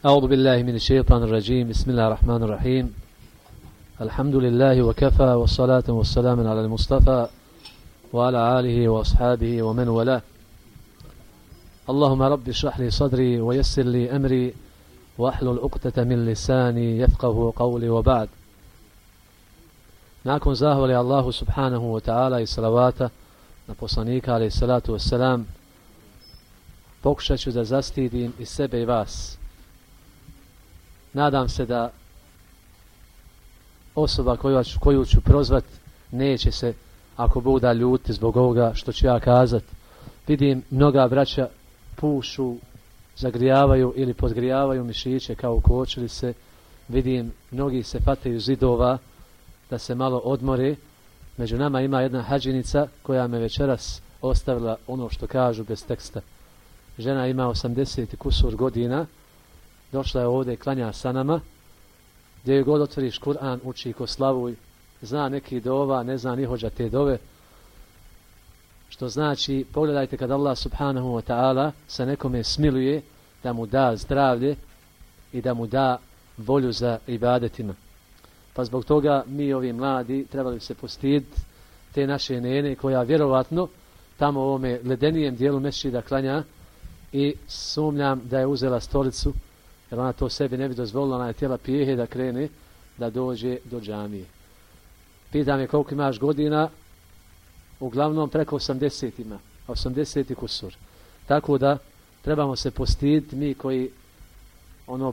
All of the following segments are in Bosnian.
أعوذ بالله من الشيطان الرجيم بسم الله الرحمن الرحيم الحمد لله وكفى والصلاة والسلام على المصطفى وعلى آله وأصحابه ومن والاه اللهم رب اشرح لي صدري ويسر لي أمري واحلل عقدة من لساني يفقه قولي وبعد. Nakon zahvali Allahu subhanahu wa ta'ala i salavata na poslanika alejhi salatu vesselam, pokušat ću da zastidim i sebe i vas. Nadam se da osoba koju ću prozvat neće se, ako Bog da, ljuti zbog ovoga što ću ja kazat. Vidim mnoga braća pušu, zagrijavaju ili podgrijavaju mišiće kao u kočilice. Vidim mnogi se fataju zidova da se malo odmore. Među nama ima jedna hadžinica koja me večeras ostavila, ono što kažu, bez teksta. Žena ima 80 kusur godina, došla je ovdje i klanja sa nama. Gdje joj god otvoriš Kur'an, uči ko slavuj, zna neki dova, ne zna ni hođa te dove. Što znači, pogledajte kad Allah subhanahu wa ta'ala se nekome smiluje, da mu da zdravlje i da mu da volju za ibadetima. Pa zbog toga mi, ovi mladi, trebali se postiditi te naše nene koja vjerovatno tamo u ovome ledenijem dijelu mesdžida klanja i sumnjam da je uzela stolicu, jer ona to sebi ne bi dozvolila, ona je htjela pijehe da krene da dođe do džamije. Pitam je koliko imaš godina, uglavnom preko 80 ima, 80 kusur. Tako da trebamo se postiditi mi koji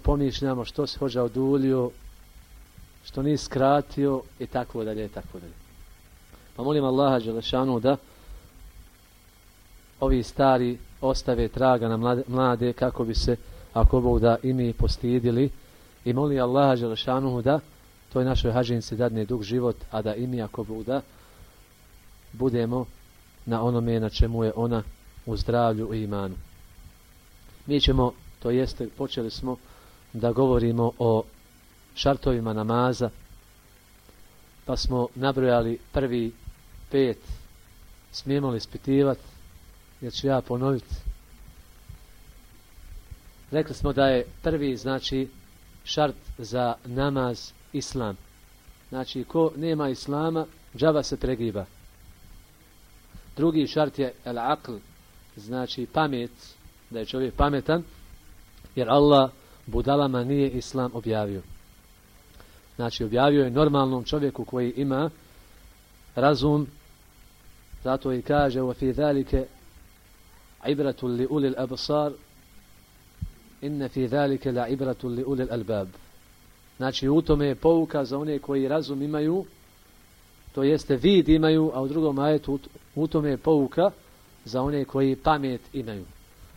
pomišljamo što se hođa oduljio, što nije skratio i tako dalje i tako dalje. Pa molim Allaha dželešanu da ovi stari ostave traga na mlade kako bi se, ako Bog da, i mi postidili, i molim Allaha dželešanu da toj našoj hadžinci dadne dug život, a da i mi, ako Bog da, budemo na onome na čemu je ona, u zdravlju i imanu. Mi ćemo, to jeste, počeli smo da govorimo o šartovima namaza, pa smo nabrojali prvi 5, smijemo li ispitivati, jer ću ja ponoviti. Rekli smo da je prvi, znači, šart za namaz islam. Znači, ko nema islama, džaba se pregiba. Drugi šart je al-aql, znači pamet, da je čovjek pametan, jer Allah budalama nije islam objavio. Znači, objavio je normalnom čovjeku koji ima razum, zato i kaže وَفِي ذَلِكَ عِبْرَةٌ لِأُولِي الْأَبْصَارِ إِنَّ فِي ذَلِكَ لَعِبْرَةٌ لِأُولِي الْأَلْبَابِ. Znači, u tome je pouka za one koji razum imaju, to jeste vid imaju, a u drugom ajetu u tome je pouka za one koji pamet imaju.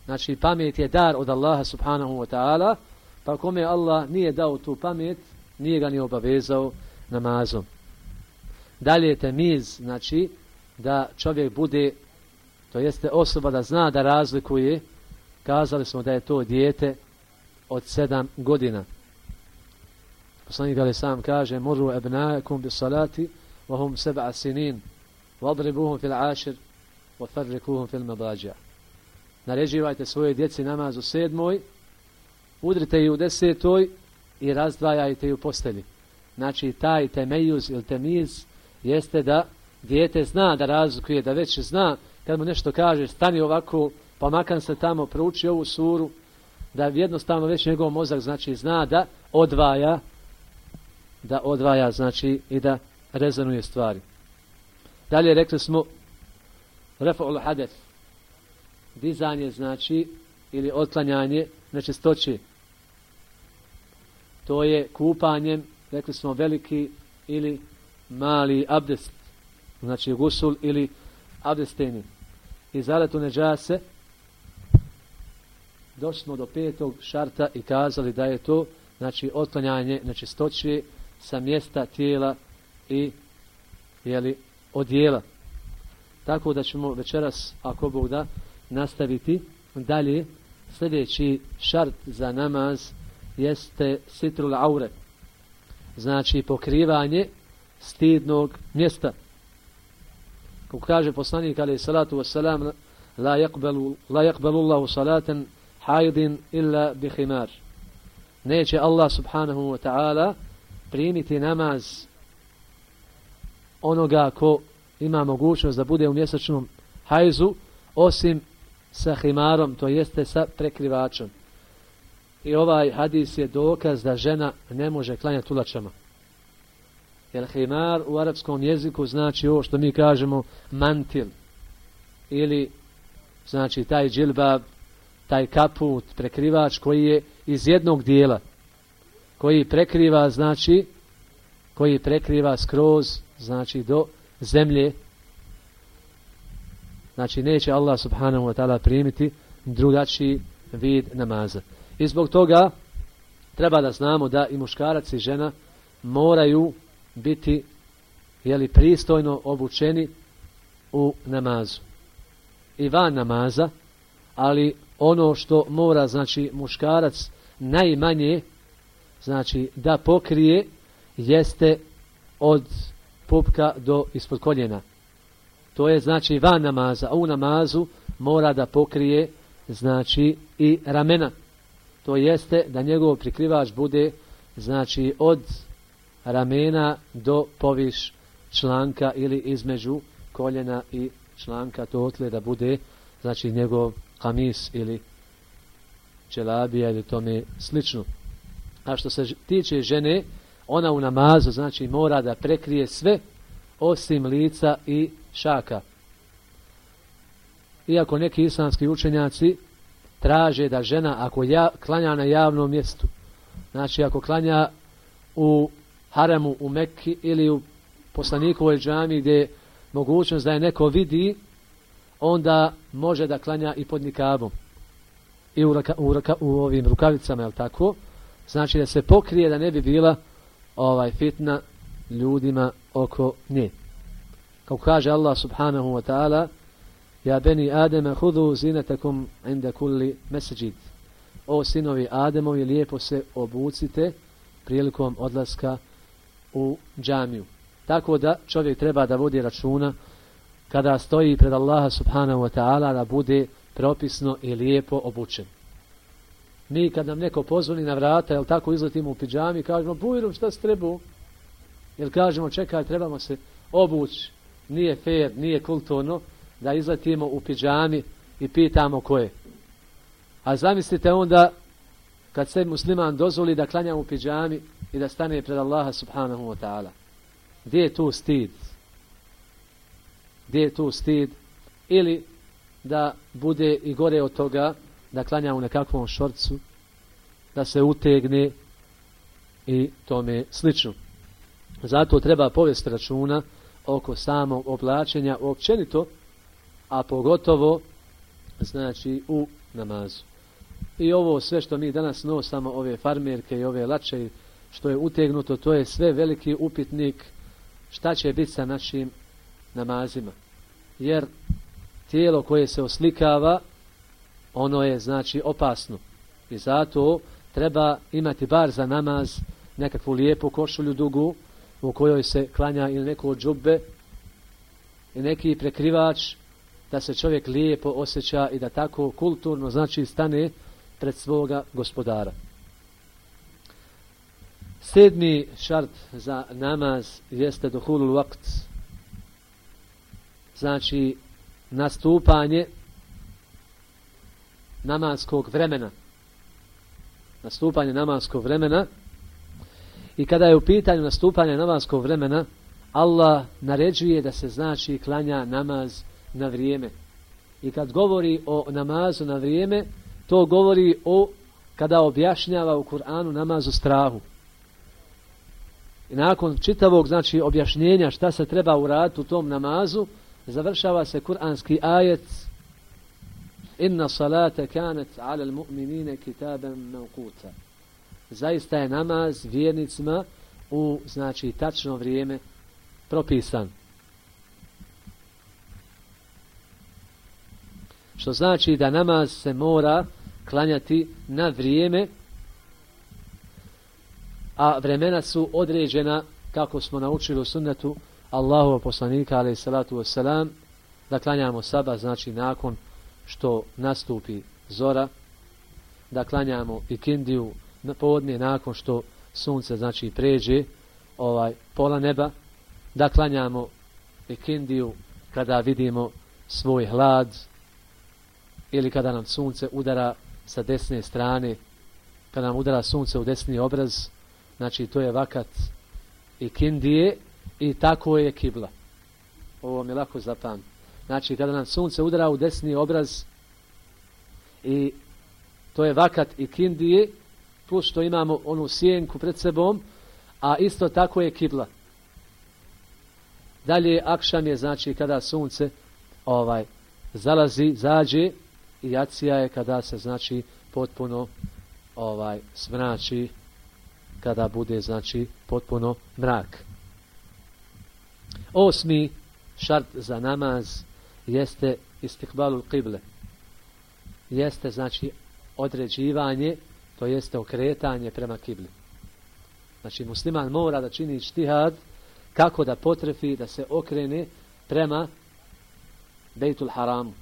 Znači, pamet je dar od Allaha subhanahu wa ta'ala, pa kome Allah nije dao tu pamet, nije ga ni obavezao namazom. Dalje temiz, znači da čovjek bude, to jeste osoba da zna da razlikuje, kazali smo da je to dijete od 7 godina. Poslanik alejhi selam kaže: "Muru abnaakum bis salati wa hum 7 sinin, wadribuhum fil 10 wa farrikuhum fil madaji'." Naređivajte svoje djeci namaz u 7, udrite ih u 10 i razdvajajte ju postelji. Znači, taj temejuz ili temiz jeste da dijete zna da razlikuje, da već zna kad mu nešto kaže stani ovako, pa makar se tamo prouči ovu suru, da jednostavno već njegov mozak, znači, zna da odvaja, znači, i da rezonuje stvari. Dalje rekli smo raf'ul hadeth, dizanje, znači, ili otklanjanje nečistoće. To je kupanjem, rekli smo, veliki ili mali abdest, znači gusul ili abdesteni. I zaletu neđase, došli smo do 5. šarta i kazali da je to, znači, otklanjanje nečistoće sa mjesta tijela i odjela. Tako da ćemo večeras, ako Bog da, nastaviti dalje. Sljedeći šart za namaz jeste sitrul aure, znači pokrivanje stidnog mjesta. Kako kaže poslanik alejhi salatu vesselam, la yaqbalu Allahu salatan haidin illa bi khimar. neće Allah subhanahu wa ta'ala primiti namaz onoga ko ima mogućnost da bude u mjesečnom hajzu, osim sa himarom, to jeste sa prekrivačom. I ovaj hadis je dokaz da žena ne može klanjati ulačama. Jer himar u arapskom jeziku znači ovo što mi kažemo mantil. Ili znači taj džilbab, taj kaput, prekrivač koji je iz jednog dijela. Koji prekriva, znači, koji prekriva skroz, znači do zemlje. Znači neće Allah subhanahu wa ta'ala primiti drugačiji vid namaza. I zbog toga treba da znamo da i muškarac i žena moraju biti pristojno obučeni u namazu. I van namaza, ali ono što mora, znači, muškarac najmanje, znači, da pokrije, jeste od pupka do ispod koljena. To je, znači, van namaza, a u namazu mora da pokrije, znači, i ramena. To jeste da njegov prikrivač bude, znači, od ramena do poviš članka ili između koljena i članka, to otle da bude, znači, njegov kamis ili čelabija ili tome slično. A što se tiče žene, ona u namazu, znači, mora da prekrije sve osim lica i šaka. Iako neki islamski učenjaci traže da žena ako klanja na javnom mjestu, znači ako klanja u haremu u Mekki ili u poslanikovoj džami gdje je mogućnost da je neko vidi, onda može da klanja i pod nikabom i u ovim rukavicama, jel tako? Znači da se pokrije da ne bi bila fitna ljudima oko nje. Kako kaže Allah subhanahu wa ta'ala: Ja beni Ademe hudu zinatakum inda kulli mesđid. O sinovi Ademovi, lijepo se obucite prilikom odlaska u džamiju. Tako da čovjek treba da vodi računa kada stoji pred Allaha subhanahu wa ta'ala da bude propisno i lijepo obučen. Mi kad nam neko pozvoni na vrata, jel tako, izletimo u pidžami, kažemo: Bujrum, šta se trebao? Jel kažemo: čekaj, trebamo se obući. Nije fair, nije kulturno da izletimo u pidžami i pitamo ko je. A zamislite onda kad se musliman dozvoli da klanja u pidžami i da stane pred Allaha subhanahu wa ta'ala. Gdje je tu stid? Gdje je tu stid? Ili da bude i gore od toga da klanja u nekakvom šorcu, da se utegne i tome slično. Zato treba povesti računa oko samog oblačenja općenito, a pogotovo, znači, u namazu. I ovo sve što mi danas nosamo, ove farmerke i ove lače, što je utegnuto, to je sve veliki upitnik šta će biti sa našim namazima. Jer tijelo koje se oslikava, ono je, znači, opasno. I zato treba imati bar za namaz nekakvu lijepu košulju dugu u kojoj se klanja ili neko džubbe i neki prekrivač, da se čovjek lijepo osjeća i da tako kulturno, znači, stane pred svoga gospodara. 7. šart za namaz jeste duhulul vakt. Znači, nastupanje namaskog vremena. Nastupanje namaskog vremena. I kada je u pitanju nastupanje namaskog vremena, Allah naređuje da se, znači, klanja namaz na vrijeme. I kad govori o namazu na vrijeme, to govori o kada objašnjava u Kur'anu namaz u strahu. I nakon čitavog, znači, objašnjenja šta se treba uraditi u tom namazu, završava se kuranski ajet: Inna salata kanat ala al-mu'minine kitaban mawquta. Zaista je namaz vjernicima u, znači, tačno vrijeme propisan. Što znači da namaz se mora klanjati na vrijeme, a vremena su određena, kako smo naučili u sunnetu Allahova poslanika alejhi salatu vesselam, da klanjamo sabah, znači nakon što nastupi zora, da klanjamo ikindiju na podne nakon što sunce znači pređe pola neba, da klanjamo ikindiju kada vidimo svoj hlad ili kada nam sunce udara sa desne strane, kada nam udara sunce u desni obraz, znači to je vakat ikindije i tako je kibla. Ovo mi je lako zapamti. Znači kada nam sunce udara u desni obraz i to je vakat ikindije, plus što imamo onu sjenku pred sebom, a isto tako je kibla. Dalje akšam je znači kada sunce zalazi, zađe, i jacija je kada se znači potpuno smrači, kada bude znači potpuno mrak. 8. šart za namaz jeste istikbalul qible. Jeste znači određivanje, to jeste okretanje prema kibli. Znači musliman mora da čini ijtihad kako da potrefi da se okrene prema Bejtul Haramu.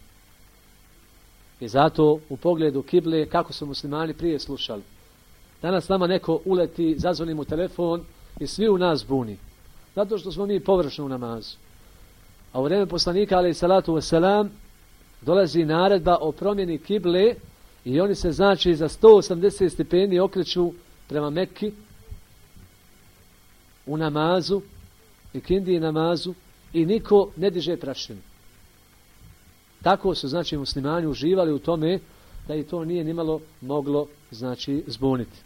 I zato u pogledu kible kako su muslimani prije slušali. Danas nama neko uleti, zazvoni mu telefon i svi u nas buni. Zato što smo mi površno u namazu. A u vrijeme poslanika alejhi salatu vesselam dolazi naredba o promjeni kible i oni se znači za 180 stepeni okreću prema Mekki u namazu, ikindiji namazu, i niko ne diže prašinu. Tako su znači muslimani uživali u tome da i to nije nimalo moglo znači zbuniti.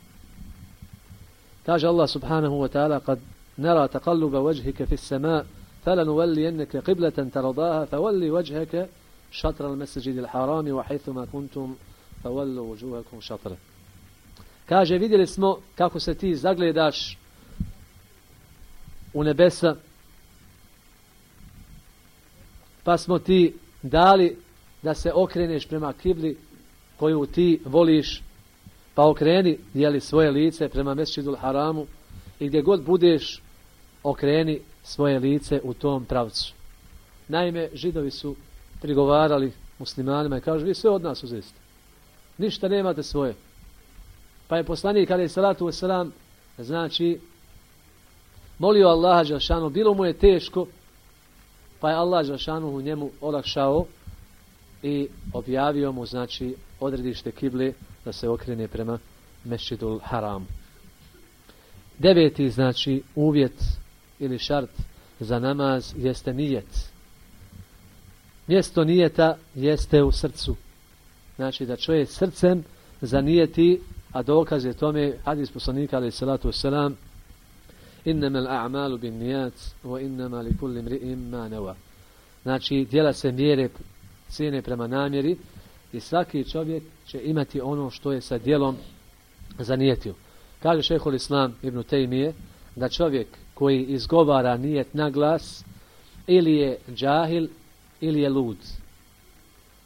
Kaže Allah subhanahu wa ta'ala: "Kad nara taqalluba wajhika fi as-sama' falanuwalliyannaka qiblatan tardaha fawalli wajhaka shatra al-masjid al-haram wa haythuma kuntum fawallu wujuhakum shatra." Kaže, vidjeli smo kako se ti zagledaš u nebesa, pa smo ti dali da se okreneš prema kibli koju ti voliš, pa okreni svoje lice prema Mesdžidul Haramu i gdje god budeš okreni svoje lice u tom pravcu. Naime, Židovi su prigovarali muslimanima i kažu: vi sve od nas uzeste, ništa nemate svoje. Pa je poslanik alejhi salatu vesselam znači molio Allaha dželešanu, bilo mu je teško, pa je Allah dželešanu njemu olakšao i objavio mu znači odredište kible da se okrene prema Mesdžidul Haramu. 9. znači uvjet ili šart za namaz jeste nijet. Mjesto nijeta jeste u srcu. Znači da čovjek srcem zanijeti, a dokaz je tome hadis poslanika alejhi salatu vesselam: innamal a'malu binniyat wa innama likulli imri'in ma nawa. Znači djela se mjere, cijene prema namjeri i svaki čovjek će imati ono što je sa djelom zanijetio. Kaže šejhul Islam Ibn Tejmije da čovjek koji izgovara nijet na glas ili je džahil ili je lud.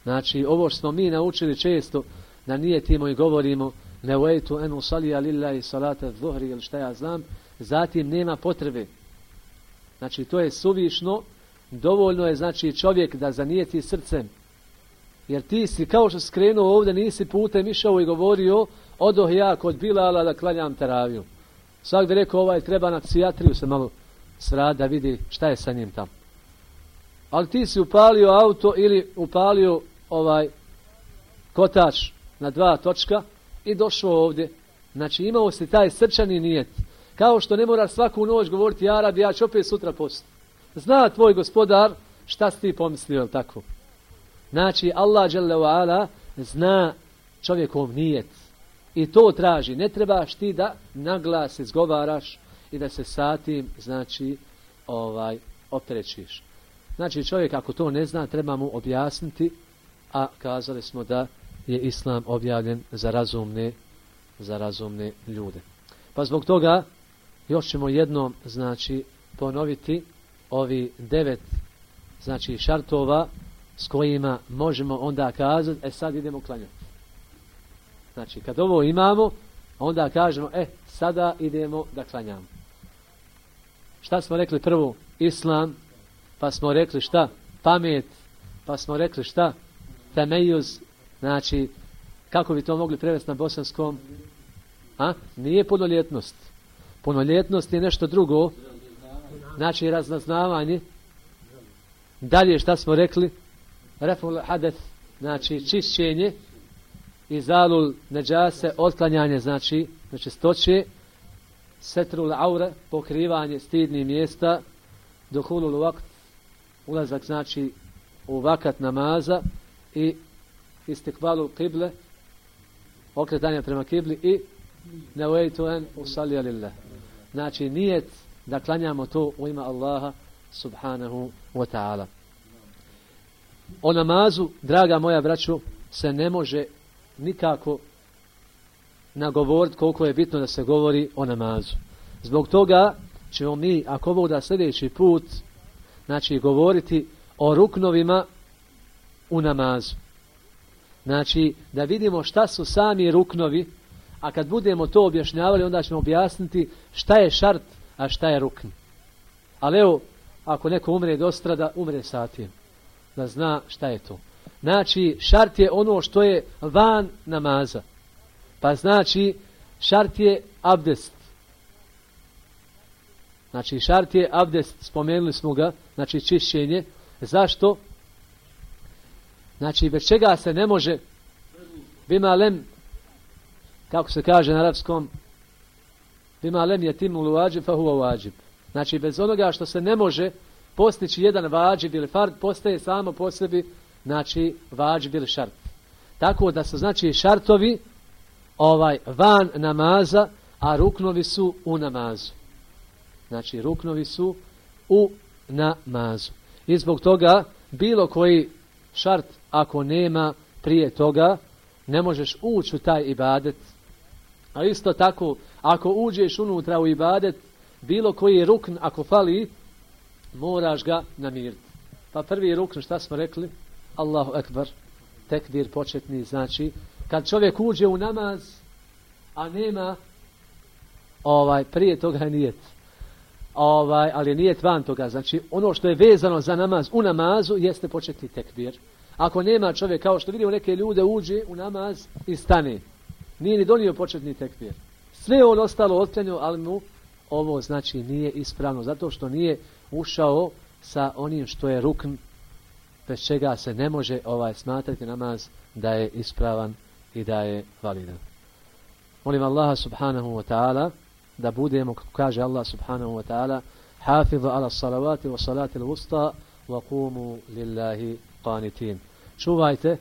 Znači ovo što smo mi naučili često da nijetimo i govorimo nevejtu en usalija lillahi salata dhuhri ili šta ja znam, zatim nema potrebe. Znači to je suvišno, dovoljno je znači čovjek da zanijeti srcem. Jer ti si kao što skrenuo ovdje, nisi putem išao i govorio: odoh ja kod Bilala da klanjam teraviju. Svak bi rekao: treba na psijatriju se malo srati da vidi šta je sa njim tamo. Ali ti si upalio auto ili upalio kotač na 2 točka i došao ovdje. Znači imao si taj srčani nijet. Kao što ne moraš svaku noć govoriti: ja Rabi, ja ću opet sutra postiti. Zna tvoj gospodar šta si ti pomislio, tako? Znači Allah dželle ve ala zna čovjekov nijet i to traži. Ne trebaš ti da naglas izgovaraš i da se sa tim znači opterećiš. Znači čovjek ako to ne zna treba mu objasniti, a kazali smo da je Islam objavljen za razumne ljude. Pa zbog toga još ćemo jednom znači ponoviti ovi 9 znači šartova s kojima možemo onda kazati: sad idemo klanjati. Znači kad ovo imamo, onda kažemo: sada idemo da klanjamo. Šta smo rekli prvo? Islam, pa smo rekli šta? Pamet, pa smo rekli šta? Temejuz, znači kako bi to mogli prevesti na bosanskom? Nije punoljetnost. Punoljetnost je nešto drugo. Znači razaznavanje. Dalje šta smo rekli? Reful hadeth, znači čišćenje. Izalul neđase, otklanjanje, znači nečistoće. Setrul aure, pokrivanje stidnih mjesta. Duhulul vakt, ulazak znači u vakat namaza. I istikvalu kible, okretanje prema kibli i nevejtu en usalli lillah. Znači nijet da klanjamo to u ime Allaha subhanahu wa ta'ala. O namazu, draga moja braćo, se ne može nikako nagovoriti koliko je bitno da se govori o namazu. Zbog toga ćemo mi, ako Bog da sljedeći put, znači govoriti o ruknovima u namazu. Znači, da vidimo šta su sami ruknovi, a kad budemo to objašnjavali, onda ćemo objasniti šta je šart, a šta je rukn. Ali evo, ako neko umre dostrada, umre satijem. Da zna šta je to. Znači, šart je ono što je van namaza. Pa znači, šart je abdest. Znači, šart je abdest, spomenuli smo ga, znači čišćenje. Zašto? Znači, bez čega se ne može bima lem, kako se kaže na arapskom, bima lem je timul vađib, fa huwa vađib. Znači, bez onoga što se ne može postići jedan vađib ili fard, postaje samo po sebi, znači, vađib ili šart. Tako da su, znači, šartovi van namaza, a ruknovi su u namazu. Znači, ruknovi su u namazu. I zbog toga, bilo koji šart, ako nema prije toga, ne možeš ući u taj ibadet. A isto tako, ako uđeš unutra u ibadet, bilo koji rukn, ako fali, moraš ga namiriti. Pa prvi rukn, šta smo rekli? Allahu ekbar, tekbir početni, znači, kad čovjek uđe u namaz, a nema prije toga nijet. Ali nijet van toga. Znači, ono što je vezano za namaz u namazu jeste početni tekbir. Ako nema čovjek, kao što vidimo neke ljude, uđe u namaz i stane. Nije ni donio početni tekbir. Sve on ostalo otklanjao, ali mu ovo znači nije ispravno. Zato što nije ušao sa onim što je rukn, bez čega se ne može smatrati namaz da je ispravan i da je validan. Molim Allaha subhanahu wa ta'ala da budemo, kako kaže Allah subhanahu wa ta'ala, hafizu ala salavati wa salati l-wusta wa qumu lillahi qanitin. Čuvajte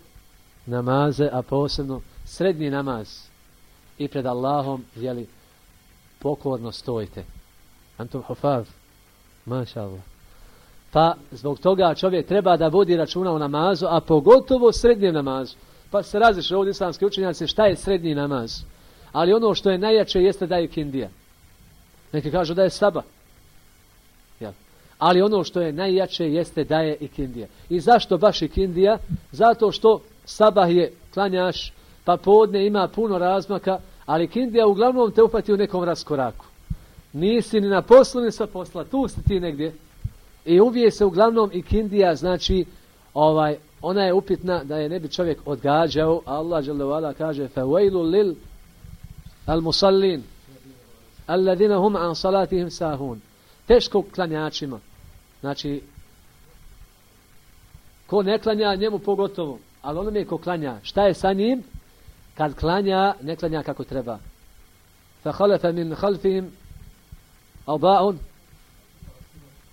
namaze, a posebno srednji namaz i pred Allahom, jeli, pokorno stojite. Antum hufaz, maša Allah. Pa zbog toga čovjek treba da vodi računa o namazu, a pogotovo srednjem namazu. Pa se različe ovdje islamski učenjaci šta je srednji namaz. Ali ono što je najjače jeste da je ikindija. Neki kažu da je sabah. Jel? Ali ono što je najjače jeste da je ikindija. I zašto baš ikindija? Zato što sabah je klanjaš, pa podne ima puno razmaka, ali ikindija uglavnom te upati u nekom raskoraku. Nisi ni na poslu, ni sa posla. Tu si ti negdje. I uvije se uglavnom ikindija, znači, ona je upitna da je ne bi čovjek odgađao. Allah dželle ve ala kaže: "Fawailu lil al-musallin alladhina hum an salatihim sahun." Teško klanjačima. Znači, ko ne klanja, njemu pogotovo. Ali onome ko klanja, šta je sa njim? Kad klanja, ne klanja kako treba. فَخَلَفَ مِنْ خَلْفِهِمْ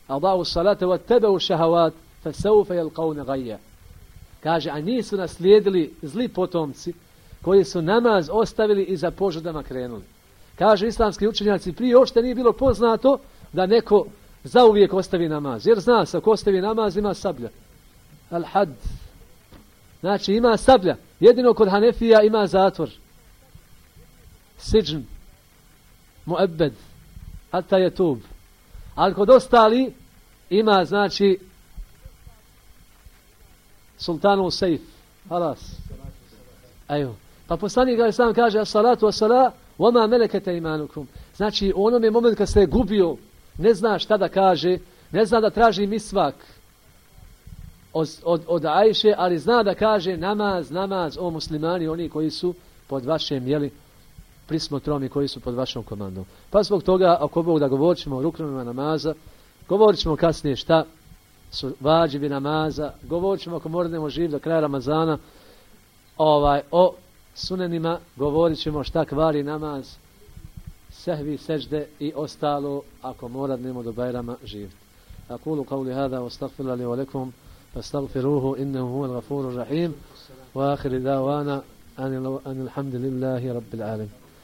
أَضَاعُوا الصَّلَاةَ وَاتَّبَعُوا الشَّهَوَاتِ فَسَوْفَ يَلْقَوْنَ غَيًّا. Kaže, a nisu naslijedili zli potomci koji su namaz ostavili i za požudama krenuli. Kaže, islamski učenjaci, prije uopšte nije bilo poznato da neko zauvijek ostavi namaz. Jer zna se, ako ostavi namaz, ima sablja. Al-had. Znači, ima sablja. Jedino kod Hanefija ima zatvor. Siđn. Mu'ebbed. Hatta je tub. Ali kod ostali ima, znači, sultanu sejf. Halas. Evo. Pa poslanik ga sam kaže: "As-salatu was-salah wa ma malakat aymanukum." Znači, u onome momentu kad se gubio, ne zna šta da kaže, ne zna da traži misvak od Ajše, ali zna da kaže namaz, namaz, o muslimani, oni koji su pod vašem, jeli, prismotrom i koji su pod vašom komandom. Pa zbog toga, ako Bog da govorit ćemo o ruknovima namaza, govorit ćemo kasnije šta su vađivi namaza, govorit ćemo ako morademo živ do kraja Ramazana, o sunenima, govorit ćemo šta kvari namaz, sehvi, sežde i ostalo ako morademo do Bajrama živjeti. Aqulu qawli hada wa astaghfiru li wa lakum fastaghfiruhu innahu huwal ghafurur rahim wa akhir da'wana anil hamdulillahi rabbil alamin.